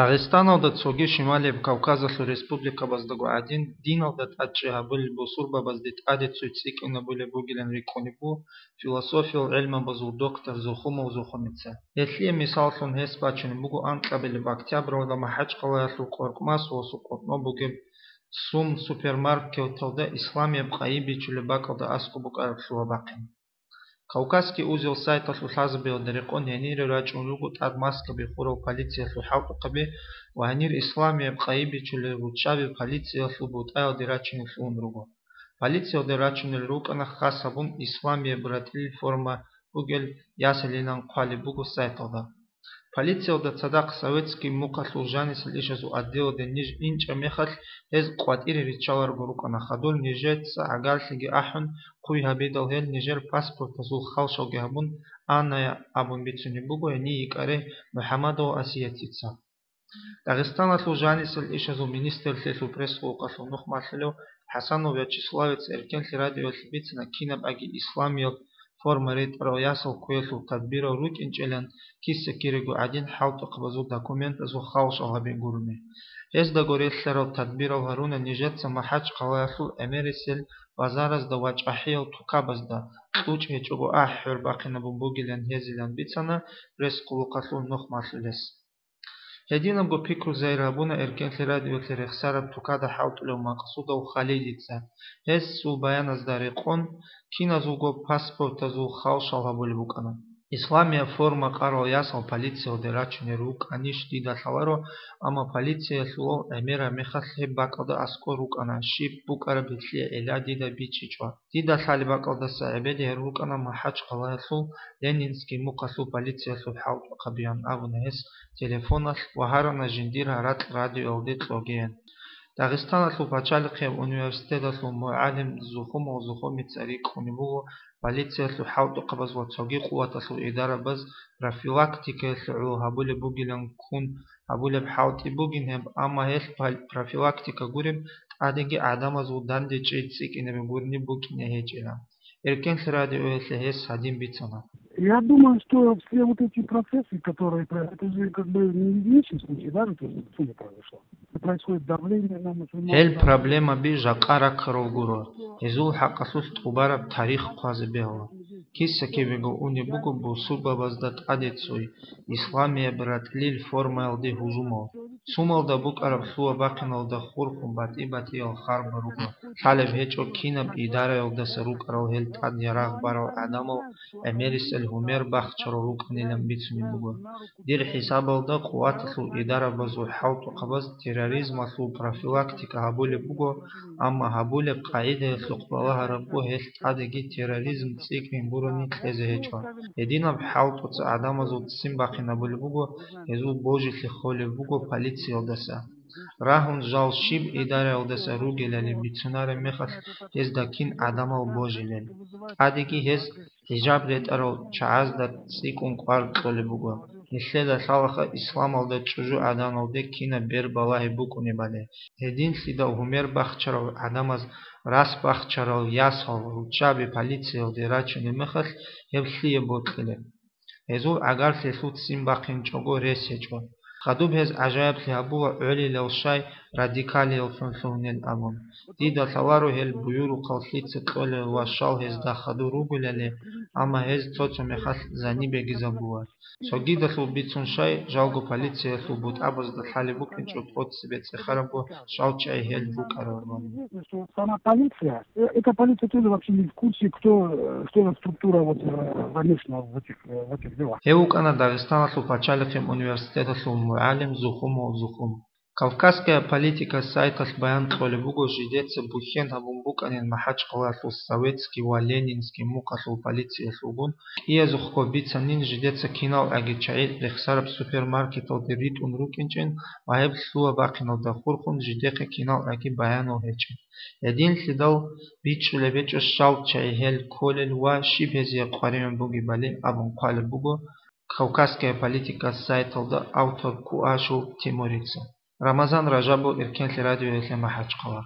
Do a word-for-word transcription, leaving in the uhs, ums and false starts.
Дагъистаналда цоги Шималияб Кавказалъул республикабаздаго гӀадин, диналда тӀадчӀи гьабулел бусурбабазде тӀаде цой цӀикӀкӀинабулеб бугилан рикӀкӀунеб буго философиял гӀелмабазул доктор Зухумов Зухумица. Гьелъие мисаллъун гьес бачунеб буго анкьабилеб октябралда МахӀачхъалаялъул Къоркъмасуялъул къотӀноб бугеб Сум супермаркеталда исламияб къайи бичулеб бакӀалда аскӀоб букӀараб лъугьа-бахъин. Кавказский узел сайталъул лъазабиялда рекъон гьенире рачӀун руго тӀад маскаби хурал полициялъул хӀалтӀухъаби ва гьанир исламияб къайи бичулел руччаби полициялъул бутӀаялде рачине лъугьун руго. Полициялде рачунел рукӀана хас гьабун исламияб ратӀлил форма бугел ясилилан хъвалеб буго сайталда. Полициялда цадахъ советский мухъалъул жанисел ишазул отделалде ниж инчӀеб мехалъ, гьез къватӀире риччаларго рукӀана, хадур нижеца гӀагарлъиги ахӀун, хъуй гьабидал гьел нижер паспортазул халшалги гьабун, Анная абун бицунеб буго гьенив йикӀарай МухӀамадова Асиятица. Дагъистаналъул жанисел ишазул министрлъиялъул пресс-къулухъалъул нух малъулев ХӀасанов Вячеславица Эркенлъи радиоялъе бицана кинаб аги исламияб форма ретӀарал ясал кквеялъул тадбирал рукӀинчӀилан киса-кирего гӀадин хӀалтӀухъабазул документазул халшал гьабин гурони. Гьездаго релълъарал тадбирал гьаруна нижеца МахӀачхъалаялъул гӀемерисел базаразда ва чӀахӀиял тукабазда, кьучӀ гьечӀого ахӀ-хӀор бахъинабун бугилан гьезилан бицана пресс-къулухъалъул нух малъулес. Гьединабго пикру загьир гьабуна Эркенлъи радиоялъе рехсараб тукада хӀалтӀулев Макъсудов Халидица. Гьесул баяназда рекъон, киназулго паспортазул халшал гьабулеб букӀана. Исламияб форма къарал ясал полициялде рачунел рукӀанищ дида лъаларо, амма полициялъулал гӀемераб мехалъ гьеб бакӀалда аскӀор рукӀана, щиб букӀараб гьелъие гӀилла дида бичӀчӀичӀо. Дида лъалеб бакӀалдаса гӀебеде гьарун рукӀана МахӀачхъалаялъул Ленинский мухъалъул полициялъул хӀалтӀухъабиян абуна гьес телефоналъ ва гьарана жиндир гьаракь радиоялде кьогеян. Дагъистаналъул пачалихъияб университеталъул мугӀалим Зухумов Зухумица рикӀкӀунеб буго полициялъул хӀалтӀухъабаз ва цоги къуваталъул идарабаз профилактикаялъе гӀоло гьабулеб бугилан ккун гьабулеб хӀалтӀи бугин гьеб, амма гьелъ пал-, профилактика гуреб, тӀадеги гӀадамазул данде чӀей цӀикӀкӀинаб гурони букӀине гьечӀила. Эркенлъи радиоялъе гьес гьадин бицана. Я думаю, что все вот эти процессы, которые про-, это же как бы не единичный случай, да, это же в России произошло. Происходит давление на мусульман. Гьел проблемаби жакъа раккарал гуро, гьезул хӀакъалъулъ тӀубараб тарих хъвазе бегьула. Киса-кибего унеб буго бусурбабазда тӀаде цой, исламияб ратӀлил формаялде гьужумал. Сумалда букӀараб лъугьа-бахъиналда хурхун батӀи-батӀиял харбал руго. Лъалеб гьечӀо кинаб идараялдаса рукӀарал гьел тӀад ярагъ барал гӀадамал гӀемерисел гьумер бахчарал рукӀанилан бицунеб буго. Дир хӀисабалда къуваталъул идарабазул хӀалтӀухъабаз терроризмалъул профилактика гьабулеб буго, амма гьабулеб къагӀидаялъухъ балагьарабго гьелъ тӀадеги терроризм цӀикӀкӀин гурони кьезе гьечӀо. Гьединаб хӀалтӀуца гӀадамазул ццин бахъинабулеб буго, гьезул божилъи холеб буго полициялдаса. Рагьун жал щиб идараялдаса ругелали бицунареб мехалъ гьезда кин гӀадамал божилел. ТӀадеги гьез хӀижаб ретӀарал чагӀазда цӀикӀкӀун кӀвар кьолеб буго. Нилъеда лъалаха исламалда чӀужугӀаданалде кинаб бер балагьи букӀунебали. Гьединлъидал гьумер бахчарал гӀадамаз рас бахчарал ясал руччаби полициялде рачунеб мехалъ гьеб лъие бокьилеб? Гьезул гӀагарлъи лъуццин бахъинчӀого рес гьечӀо. Хадуб гьез гӀажаиблъи гьабула гӀолилал щай радикалияллъун лъугьунел абун. Дида лъаларо гьел буюрухъал лъица кьолел ва щал гьезда хадур ругелали, амма гьез цо-цо мехалъ занибеги забула. Цогидалъул бицун щай, жалго полициялъул бутӀабазда лъалеб букӀинчӀо тӀоцебе цӀехарабго щал чӀей гьел рукӀараллъун. Известно, что сама полиция, э, эта полиция тоже вообще не в курсе, кто, э, что за структура вот, э, замешана в этих, э, в этих делах. Гьев вукӀана Дагъистаналъул пачалихъе университеталъул мугӀалим Зухумов Зухум. Кавказская политика сайталъ баян кьолеб буго, жидеца бухьен гьабун букӀанин МахӀачхъалаялъул Советский ва Ленинский мухъалъул полициялъулгун, кӀиязухъго бицанин жидеца киналгӀаги чагӀи рехсараб супермаркеталде ритӀун рукӀинчӀин ва гьеб лъугьа-бахъиналда хурхун жидехъе киналгӀаги баянал гьечӀин. Гьединлъидал бичӀчӀулеб гьечӀо щал чагӀи гьел кколел ва щиб гьезие къваригӀун бугебали абун хъвалеб буго Кавказская политика сайталда автор Куашев Тимурица. Рамазан Ражабов, Эркенлъи радиоялъе МахӀачхъала.